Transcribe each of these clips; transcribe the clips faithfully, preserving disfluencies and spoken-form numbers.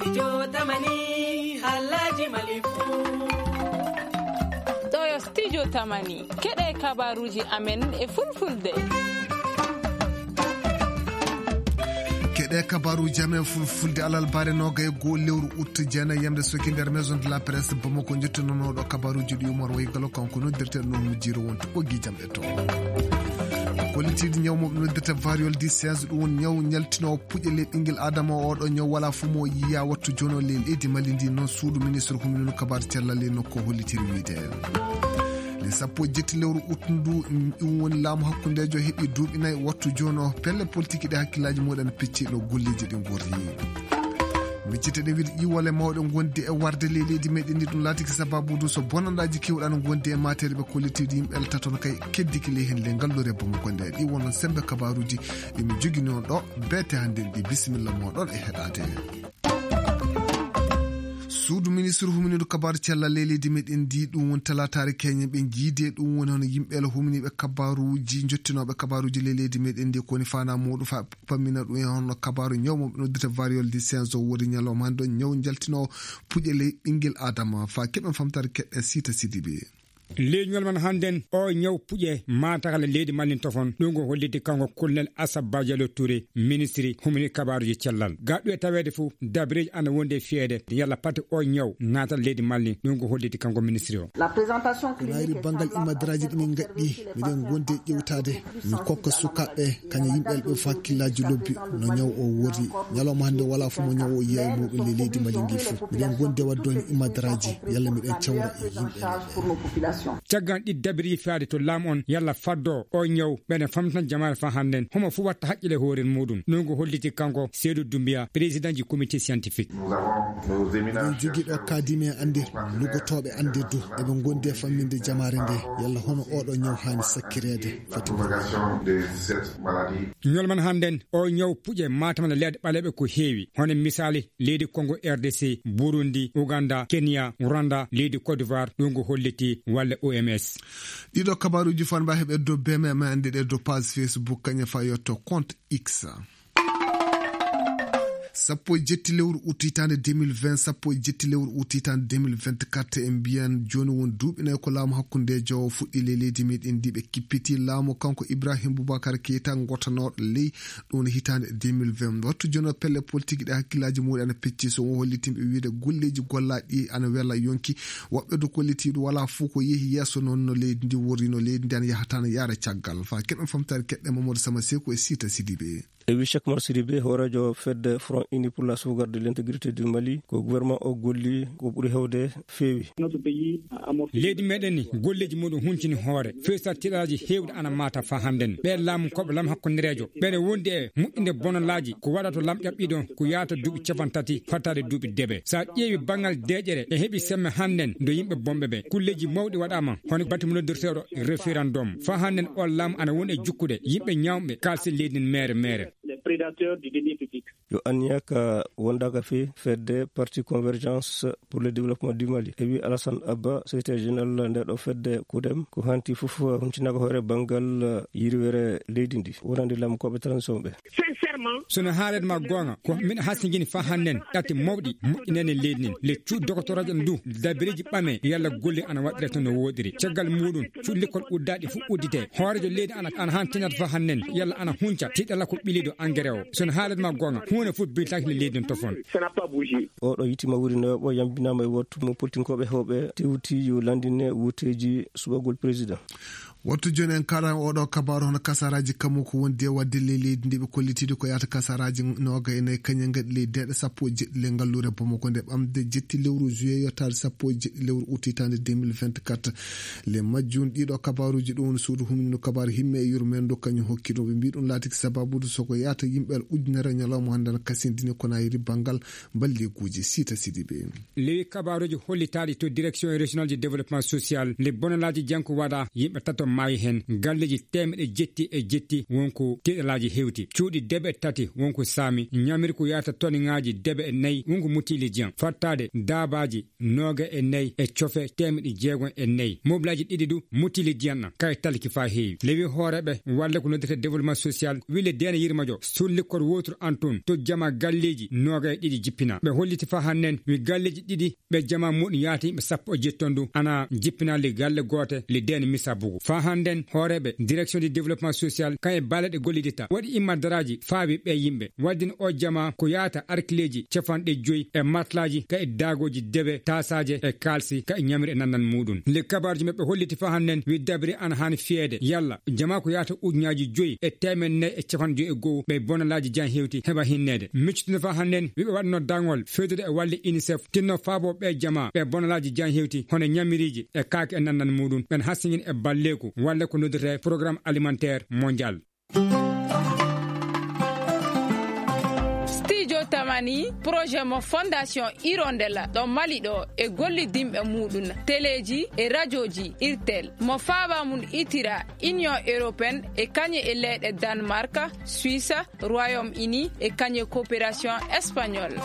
Studio Tamani, halaji Mali fu. Ɗo yo Studio Tamani. Keɗe kabaruji amen e fulfulde. Keɗe kabaruji amen fulfulde alal bare noga e goo lewru ut jeenayi yamde soki nder Maison de la Presse Bamako. Jettunonoɗo kabaruji ɗi Umar Waygalo, kanko noddirte no mujjiro wonto ɓoggi jam e to. Kollitiiɗi ñaw mo ɓe noddirta variole du singe, ɗum woni ñaw ñaltino puƴe ley ɓinngel Adama. Oɗo ñaw wala fof mo yiya wattu jono ley leydi Mali ndi. Noon suudu ministre huminino kabaar cellal ley nokku hollitiri wiide. Le sappo e jetti lewru ut ndu, ɗum woni laamu hakkundeejo heɓi duuɓi nayi wattu jono pelle politique ɗe hakkillaaji muɗen pecci no golleeji ɗi ngorri. Miccite ɗe wiɗi ƴiwole mawɗe gondi e warde ley leydi meɗen ndi, ɗum laatiki sababudu so bonanɗaaji kewɗano gondi e mateere ɓe kollitiiɗi yimɓe elta toon kay keddiki ley heen le ngallu rebbo mo gonde. Ɗi wonon sembe kabaruji ɗi mi jogino ɗo beete hannde ɗi. Bisimilla moɗon e heɗade. Suudu ministre huminiiɗo kabaaru cellal ley leydi meɗen ndi, ɗum woni talataare keñen ɓe jiidi e ɗum woni hono yimɓe la huminiiɓe kabaaruji, jottinoɓe kabaaruji ley leydi meɗen ndi, ko woni fana muɗum fa pammina ɗum e honno kabaaru ñaw mo ɓe noddita variole du singe o woni ñalawma hannde o ñaw jaltinowo puƴe ley ɓinngel Adama. Fa keɓen famtare keɗɗen Sita Sidibe. Leñol man hannden o ñaw puƴe matakala leydi Mali tofon, ɗum ko holliti kanko kolonel Assa Badialo Touré, ministre humini kabaaruji cellal. Gaɗɗu e taweede fof dabireeji ana wonde e fiyeede yalla pati o ñaw naata leydi Mali, ɗum ko holliti kanko ministre o. Ko nayri banngal immadireeji ɗi min ngaɗɗi, miɗen ngondi e ƴewtaade. Mi kokka sukaaɓe kañum yimɓe ɓe fof hakkillaaji lobbi no ñaw o woori. Ñalawma hannde wala fof mo ñaw o yiya e muɗum le leydi Mali ndi fof. Miɗen gondi e waɗde on immadireeji yalla miɗen cawra e yimɓe ɓe. Caggal ɗi dabiri faade to laamu on yalla faddo o ñaw ɓene famtan jamaare fa hannden homo fof watta haqqile hoore muɗum. Ɗum ko holliti kanko Seydou Doumbia, président du comité scientifique. Min jogii ɗo kaadimi e annde lugotooɓe annde du eɓe ngondi e famminde jamaare nde yalla hono oɗo ñaw haani sakkireede. Ñolman hannden o ñaw puƴe matamana leeɗe ɓaleeɓe ko heewi, hono misaali leydi Kongo, R D C, Burundi, Uganda, Kenya, Rwanda, leydi Côte d'Ivoire, ɗum ko holliti walla O M S. Ɗiɗo kabaruji fanba heɓe do B M M annde ɗe do page Facebook kaña fa yotto compte X. Sappo e jetti lewru ut hitaande deux mille vingt, sappo e jetti lewru ut hitaande deux mille vingt-quatre, en mbiyan jooni won duuɓi nayi ko laamu hakkundeejo fuɗɗi ley leydi meɗen ndi ɓe kippiti laamu kanko Ibrahim Boubacar Keita ngotanooɗo ley ɗum woni hitaande deux mille vingt. Wattu jono pelle politique ɗe hakkillaaji muɗi ana pecci so o hollitimɓe wiide golleeji gollaaɗi ana wela yonki. Woɓɓe du kollitiiɗo wala fof ko yehi yeeso noon no leydi ndi worri no leydi ndi ana yahata ana yaara caggal. Fa keɗen famtaare keɗɗen Mamadou Sama Seku e Sita Sidibe. E wi Cheikh Oumar Sidibé, hooreejo fedde Front Uni pour la Sauvegarde de l'Intégrité du Mali, ko gouvernement o golli ko ɓuri heewde feewi. Leydi meɗen ni golleeji muɗum huncini hoore, feesal tiɗalaaji heewɗi ana maata fa hannden. Ɓe laamu koɓe laamu hakkundereejo ɓene wondi e moƴƴinde bonalaaji ko waɗato lam ƴaɓɓiɗo ko yaata duuɓi capanɗe tati fattaade duuɓi deɓe. Sa ƴeewi banngal deeƴere e heɓi semme hannden do yimɓe bonɓe ɓe kulleeji mawɗi waɗaama hono batti mo noddirteeɗo référendum. Fa hannden o laamu ana woni e jukkude yimɓe ñawɓe kaalisi leydi mere mere. Les prédateurs du denier public. Yo anniya ka wondaaka fii fedde Parti Convergence pour le Développement du Mali. E wi Alassane Abba, secrétaire général nde ɗo fedde kudem, ko hanti fof huncinaaka hoore banngal yirwere leydi ndi, wonande lamkooɓe transition ɓe. Sincèrement. Sono haalede ma goonga, ko min hasingini fa hannden, ɗatti mawɗi moƴƴinani leydi ndi. Le cuuɗi dogotoraajo ndu, dabireeji ɓame, yalla golle ana waɗire to no woɗiri. Caggal muɗum, cuuɗi lekkol uddaaɗi fof uddite. Hooreejo leydi ana, ana han tinata fa hannden, yalla ana hunca, tiɗala ko ɓili ɗo engrais o. Sono haalede ma goonga, huunde fof biltaaki le leydi ndi tofon. Ça n'a pas bougé. Oɗo yitima wuri no o yambinama e wattu mo politinkooɓe heewɓe tewti yo landine wuteeji suɓagol président. Wattu jooni en kaɗan oɗo kabaaru hono kasaraaji kammu ko wondi e waɗde ley leydi ndi ɓe kollitiiɗi ko yahata kasaraaji nooga e nayi kañum ngaɗi ley deeɗe sappo e jeɗɗi ley ngalluure Bamako nde ɓamde jetti lewru juillet yottaade sappo e jeɗɗi lewru ut hitaande deux mille vingt-quatre. Le majjum ɗiɗo kabaaruji ɗum woni suudu humindu kabaaru himme e yurmeendu kañum hokki ɗum ɓe mbi ɗum laatiki sababude soko yahata yimɓe ujunere ñalawma hannde na kasindini ko nayiri banngal balleeguuji Sita Sidibe. Lewi kabaaruji hollitaaɗi to direction régional du développement social le bonalaaji janko waɗa yimɓe tato Maayi heen, galleeji teemeɗe jetti e jetti wonko tiiɗalaaji hewti. Cuuɗi debe tati wonko saami, ñamiri ko yaata toniŋaaji debe e nayi wonko mutili jiyam. Fattaade daabaaji nooga e nayi e cofe teemeɗe jeegom e nayi. Mobilaaji ɗiɗi du mutili jiyam ɗam, kay talki faa heewi. Lewi hooreeɓe walle ko noddirta développement social, wille deena yirmajo, suul likkol wooturu an toon, to jama galleeji nooga e ɗiɗi jippina. Ɓe holliti faa hannden, wi galleeji ɗiɗi ɓe jama muɗum yaata yimɓe sappo e jetti toon du, ana jippina le galle goote, le deene misa bugu. Faa hannden, hooreeɓe direction du développement social, kañe baale ɗe gollidita, waɗi immadaraaji faawi ɓe yimɓe. Waddin o jama ko yaata arkileeji capanɗe joyi e matlaaji, ka e daagooji debe, taasaaje e kaalsi, ka e ñamri e nannan muɗum. Le kabaarji maɓɓe holliti faa hannden, wi dabiri ana haani fiyeede. Yalla, jama ko yaata ujunnaaji joyi e teemeɗe nayi e capanɗe joyi e go'o, ɓe bonalaaji jan hewti heɓa hinneede. Miccitino faa hannden, wi ɓe waɗno daŋol fewtude e walle UNICEF, tinno faabo ɓe jama, ɓe bonalaaji jan hewti, hono ñamiriiji e kaake e nannan muɗum, ɓen hasingin e balleeku, walle ko noddirte Programme Alimentaire Mondial. Studio Tamani, projet mo Fondation Hirondelle ɗo Mali ɗo e gollidinɓe muɗum, teleeji e rajooji Irtel, mo faaba mum itira Union Européenne e kañe e leyɗe Danemark, Suisse, Royaume-Uni e kañe coopération espagnole.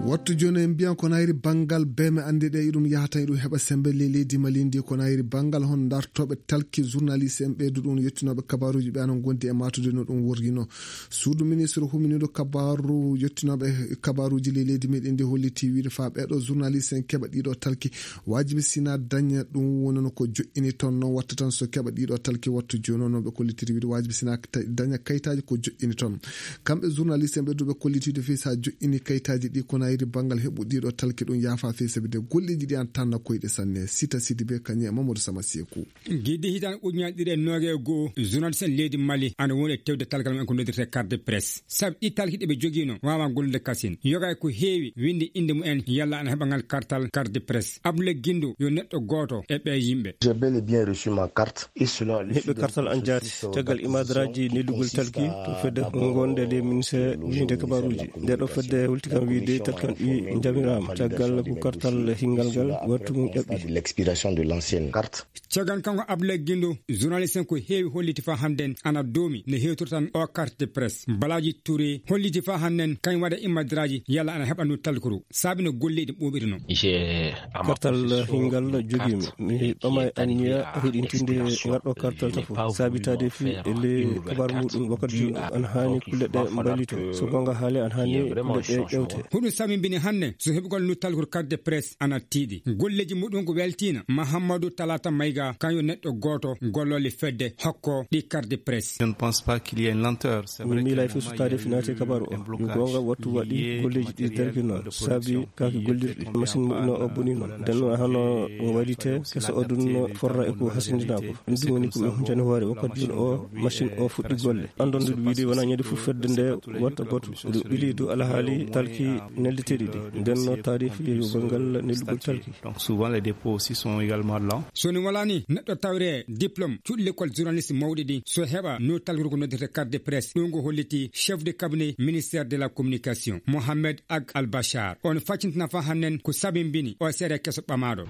Wattu jooni en mbiyan ko nayri banngal bee mi anndi ɗe iɗum yahata iɗum heɓa sembe le leydi Mali ndi ko nayri banngal hon dartooɓe talki journaliste en ɓeydu ɗum yettinooɓe kabaruuji ɓe ana ngondi e matude no ɗum worrino. Suudu ministre huminiiɗo kabaru yettinooɓe kabaruuji le leydi meɗen ndi holliti wiide faa ɓeeɗo journaliste en keɓa ɗiɗo talki waajibi sina daña ɗum wonano ko joƴƴini toon noon watta tan so keɓa ɗiɗo talki wattu jooni noon ɓe kollitiri wiide waajibi sina ta-, daña kayitaaji ko joƴƴini toon. Kamɓe journaliste en ɓe duuɓe kollitiiɗo fii so a joƴƴini kayitaaji ɗi ko nayri banngal heɓu ɗiɗo talki ɗum yaafa fii sabi de golleeji ɗi an tanna koyɗe sanne. Sita Sidibe kañe e Mamadou Sama Seeku. Gidde hitaande ujunaaji ɗiɗi e noogay e go'o, journaliste en leydi Mali ana woni e tewde talkal mum en ko noddirte carte de presse. Sabi ɗi talki ɗi ɓe jogiino waawa gollude kasin. Yoga e ko heewi winde innde mum en yalla ana heɓa ngal kartal carte de presse. Abdoulaye Guindo yo neɗɗo gooto e ɓee yimɓe. J'ai bel et bien reçu ma carte. Neɗɗo kartal an jaati caggal imadaraaji neldugol talki to fedde ngonde le ministère winde kabaruuji. Nde ɗo fedde holti kam wiide talki an ɗi njamiraama caggal ko kartal hingal ngal wattu mum ƴaɓɓi. L'expiration de l'ancienne carte. Caggal kanko Abdoulaye Guindo, journaliste en ko heewi holliti faa hannden ana doomi no hewtortan o carte de presse. Balaji Touré holliti faa hannden kañ waɗa immadiraaji yalla ana heɓa ndu talkuru. Saabi no golleeji ɓooɓiri noon. J'ai à ma kartal possession hingal une jogiimi. Carte Mi ɓama e qui est anniya arrivée à heɗintinde expiration. Ngarɗo kartal tafo. Saabitaade fii e ley kabar muɗum wakkati jooni ana haani kulle ɗe mballito. So goonga haali ana haani kulle ɗe ƴewte. Huɗum sammbini hannde so heɓugol ndu talkuru carte de presse ana tiiɗi. Golleeji muɗum ko weltiina Mahamadou Talata Mayga, kañum neɗɗo gooto golloole fedde hokko ɗi carte de presse. Je ne pense pas qu'il y ait une lenteur. C'est vrai que le mouvement, il y a eu un blocage lié effectivement à la production de la machine. Mi miila e fii so taade finaate kabaru o. Yo goonga wattu waɗi golleeji ɗi darki noon. Saabi kaake gollirɗi, machine moƴƴino o boni noon. Nden noon hano waɗite keso o ɗum no forra e ko hasindinaa ko. Ɗum ɗum woni ko mi huncani hoore wakkati jooni o machine o fuɗɗi golle. Anndon ndu wiide wonaa ñande fof fedde nde watta batu. Ndu ɓili dow alhaali talki neldeteeɗi ɗi. Nden no taarifi yo banngal neldugol talki. Donc souvent les dépôts aussi sont également lents. So ni walaani neɗɗo tawre diplôme cuuɗi l'école journaliste mawɗi ɗi so heɓa no talkuru ko noddirta carte de presse. Ɗum ko holliti chef de cabinet ministère de la communication, Mohamed Ag Al Bachar. On faccintina fa hannen ko sabimbini o seeɗa keso ɓamaaɗo.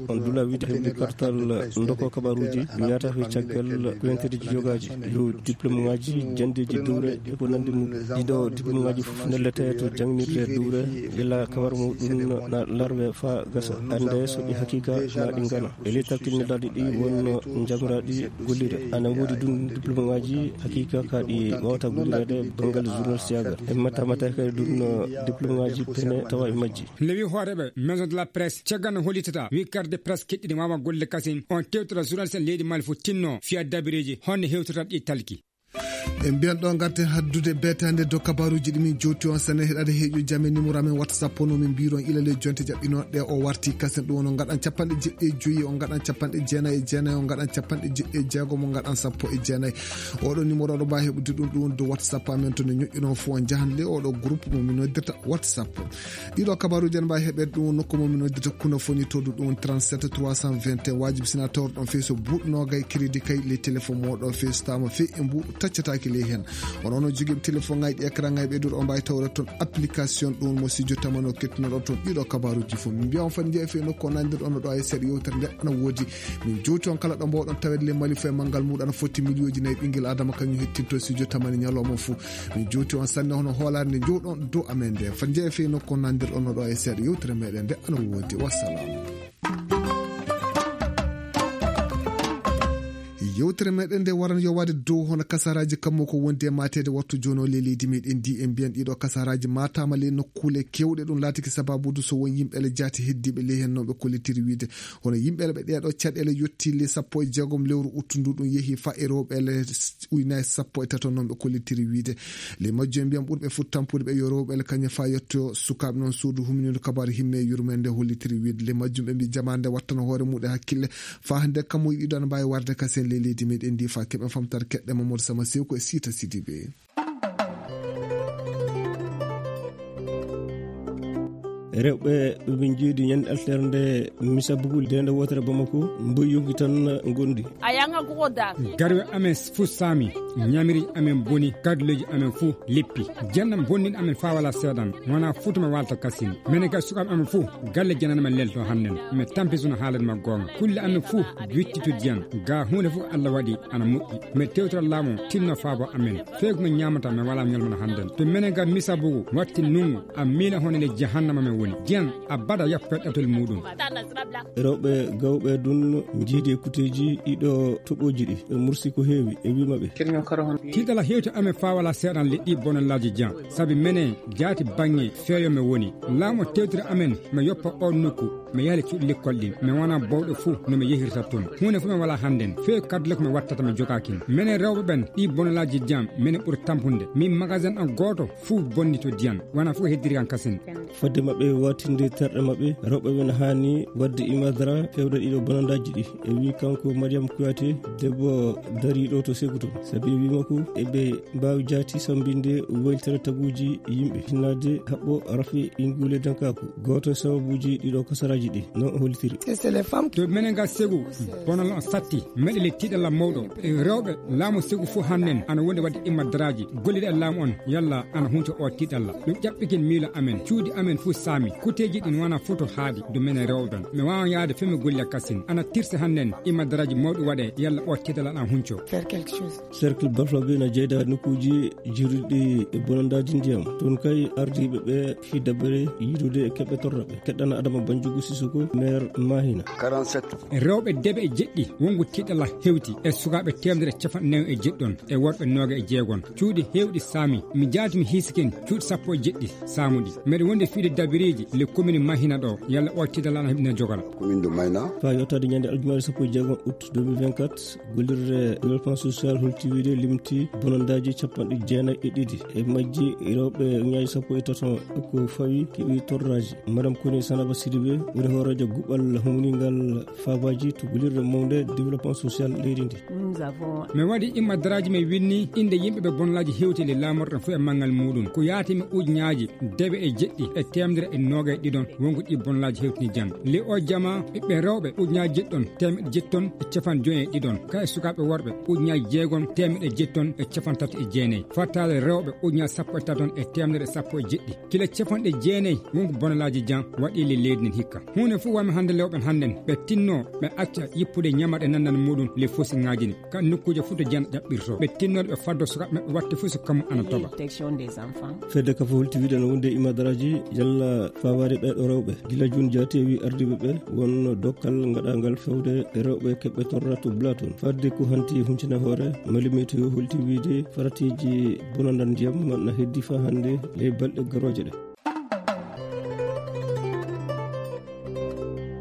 On dula wiide heɓde kartal ndoko kabaruuji, mi yaata he caggal kulentereeji yogaaji, yo diplôme ŋaaji, janndeeji dowre e ko nanndi mum. Ɗiɗo diplôme ŋaaji fof nellete to jangnirde dowre, gila kabar muɗum na larwe faa gasa. Annde so ɗi hakiika na ɗi ngana. E ley talki neldaɗi ɗi wonno njamiraaɗi gollira. Ana woodi ɗum diplôme ŋaaji hakiika ka ɗi waawata gollireede banngal journalistiyaagal. E mata mata kadi ɗum no diplôme ŋaaji pene tawa e majji. Lewi hooreeɓe Maison de la Presse, caggal no hollitata wi carte de presse keɗɗiɗi waawa golle kasin, on tewtata journaliste en leydi Mali fof tinno fiya dabireeji honno hewtata ɗi talki. En mbiyan ɗo ngarten haddude beetaande dow kabaruuji ɗi min jowti on sene heɗade heeƴo jam e numéro amen WhatsApp o no min mbiiron ila ley jonte jaɓɓinooɗe o warti kasen ɗum woni on ngaɗan capanɗe jeɗɗi e joyi, on ngaɗan capanɗe jeenayi e jeenayi, on ngaɗan capanɗe jeɗɗi e jeegom, on ngaɗan sappo e jeenayi. Oɗo numéro oɗo mbaawi heɓude ɗum ɗum woni dow WhatsApp amen to nde ñoƴƴuno fof on njahan ley oɗo groupe mo min noddirta WhatsApp. Ɗiɗo kabaruuji ene mbaawi heɓeede ɗum nokku mo min noddirta Kuna Foni to ɗum ɗum trente-sept trois cent vingt et un. Waajibi sina tawruɗon fii so buuɗu noogay crédit kay ley téléphone mooɗon fii so taama fii e mbuuɗu taccata Kile heen. Onon on jogiiɓe téléphone ŋaaji ɗi, écran ŋaaji ɓe duur, on mbaawi tawre toon application ɗum mo studio tamano kettunoɗo toon ɗiɗo kabaruuji fof. Min mbiya on fati njeeya fee nokku on nandir on ɗo e seeɗa yewtere nde ana woodi. Min jowti on kala ɗo mbawɗon tawede le Mali fof e manngal muuɗum ana fotti miliyooji nayi ɓinngel Adama kañum hettinto studio tamani ñalawma fof. Min jowti on sanne hono hoolaare nde jowɗon dow amen nde. Fati njeeya fee nokku on nandir on ɗo e seeɗa yewtere meɗen nde ana woodi. Wassalam. Yewtere meɗen nde waran yowaade dow hono kasaraaji kammu ko wondi e maateede wattu jooni o ley leydi meɗen ndi. En mbiyan ɗiɗo kasaraaji maataama ley nokkuule kewɗe. Ɗum laatiki sababude so won yimɓe ele jaati heddiiɓe ley heen non ɓe kollitiri wiide hono yimɓe ele ɓe ɗeeɗo caɗeele yotti le sappo e jeegom lewru uttu ndu ɗum yehi fa e rewɓe ele ujunaaji sappo e tato non ɓe kollitiri wiide. Ley majjum en mbiyan ɓurɓe fof tampude ɓe yo rewɓe ele kañum fa yetto sukaaɓe noon suudu humnindu kabaaru himme yurmende hollitiri wiide. Ley majjum ɓe mbi jamaande wattana hoore muɗum hakkille. Fa hannde kammuuji ɗiɗo ana mbaawi warde kasen ley leydi meɗen ndi fa keɓen famtare keɗɗe Mamadou Sama Sew ko e Siita Sidibe. Rewɓe ɓe min jiidi ñande altere nde misabugol dende wotere Bamako mboyugi tan gondi. A yanga ko da. Garwe amen fu saami, ñamiri amen boni, kadleji amen fu leppi. Jannam bonni amen fa wala seedan. Wona futu ma walta kasin. Mene ga sukaɓe amen fu galle janana ma lelto hannen. Me tampi suna haalan ma gonga. Kulle amen fu witti to diyan. Ga hunde fu Allah waɗi ana moƴƴi. Me tewtira laamu tinno faabo amen. Feeku me ñamata me wala ñolmana handen. To mene ga misabugu watti nungu a miila hono le jahannama me woni. Diyan a bada yappeɗɗatol muɗum. Rewɓe gawɓe dun jiidi e kuteji ɗiɗo toɓoji ɗi. Ɓe mursi ko heewi e wima ɓe. Tiiɗala hewti amen fa wala seeɗan leɗɗi bonallaaji jan. Sabi mene jaati baŋŋe feeyo me woni. Laamu tewtira amen me yoppa on nokku. Mi yahli cuuɗi lekkol ɗin. Mi wona bawɗo fuu no mi yehirta ton. Huunde fuu mi walaa hannden. Fee kaddule ko mi wattata mi jogaakin. Menen rewɓe ɓen, ɗii bonalaaji diyam, menen ɓuri tampunde. Min magasin an gooto fuu bonnito diyam. Wona fuu heddiri kan kasin. Fodde maɓɓe wattinde terɗe maɓɓe, rewɓe ɓen haani waɗde imadara fewde ɗiɗo bonandaaji ɗi. E wii kanko Mariam Kouyaté, debbo dariiɗo to Ségou to. Sabi wii makko, eɓe mbaawi jaati sambinde weltere taguuji yimɓe. Tinnaade haɓɓo rafi ingule dankaaku. Gooto e sababuuji ɗiɗo kasaraaji ɗi, no o hollitiri. To menen ga Ségou, bonal on satti, meɗe le tiiɗalla mawɗo. E rewɓe, laamu Ségou fof hannden, ana wondi waɗde immadaraaji, golliɗe e laamu on, yalla ana hunco o tiiɗalla. Ɗum ƴaɓɓikin miilo amen, cuuɗi amen fof saami, kuteeji ɗin wona foto haaɗi, ɗum menen rewɓe ɓen. Mi waawan yaade femi golle kasin, ana tirse hannden, immadaraaji mawɗi waɗe, yalla o tiiɗalla ana hunco. Faire quelque chose. Cercle Balfabi na jeyda nokkuuji jiruɗi e bonandaaji ndiyam. Toon kay ardiiɓe ɓe fii dabbere yiidude e keɓɓe torraɓe. Keɗɗana Adama Banjugu Sisoko, maire Mahina. Quarante-sept. Rewɓe debe e jeɗɗi, wongo tiiɗalla hewti e sukaaɓe teemedere e capanɗe nayo e jeɗɗon e worɓe nooga e jeegon. Cuuɗi heewɗi saami. Mi jaati mi hiisikin cuuɗi sappo e jeɗɗi saamuɗi. Meɗe wonde fiide dabireeji le commune Mahina ɗo. Yalla o tiiɗalla ana heɓina jogal. Commune de Mahina. Faa yottaade ñande aljumaare sappo e jeegom août deux mille vingt-quatre, gollirde développement social holti wiide limti bonandaaji capanɗe jeenayi e ɗiɗi. E majji rewɓe ñaaji sappo e tato ko fawi keɓi torraaji. Madame Koni Sanaba Sidibé woni hooreejo guɓal humningal faabaaji to gollirde mawnde développement social leydi ndi. Mi waɗi immadaraaji, mi winni innde yimɓe ɓe bonalaaji hewti le laamorɗen fof e manngal muɗum. Ko yaati mi ujunaaji debe e jeɗɗi e teemedere e nooga e ɗiɗon wonko ɗi bonalaaji hewtini jan. Le o jama ɓiɓɓe rewɓe ujunaaji jeɗɗon teemeɗe jeɗɗon e capanɗe joyi e ɗiɗon. Ka e sukaaɓe worɓe ujunaaji jeegom teemeɗe jeɗɗon e capanɗe tati e jeenayi. Fattaade rewɓe ujunaaji sappo e taton e teemedere e sappo e jeɗɗi. Kila capanɗe jeenayi wonko bonalaaji jan waɗi le leydi nden hikka. Huunde fof wami hannde lewɓen hannden ɓe tinno ɓe acca yippude ñamaɗe nanndana muɗum le fosiŋaaji ɗi. Ka nokkuuje fof to jan ƴaɓɓirto. Ɓe tinnoɗo ɓe faddo sukaaɓe maɓɓe watte fof so kammu ana toɓa. Protection des enfants. Fedde ka fof holti wiide no wonde imadaraaji yalla fawaade ɓeeɗo rewɓe. Gila jun jaati e wi ardiiɓe ɓe wonno dokkal ngaɗangal fewde e rewɓe keɓɓe torra to Blaton. Fadde ko hanti huncine hoore, Mali Meteo holti wiide farateeji bonandal ndiyam na heddi fa hannde ley balɗe garooje ɗe.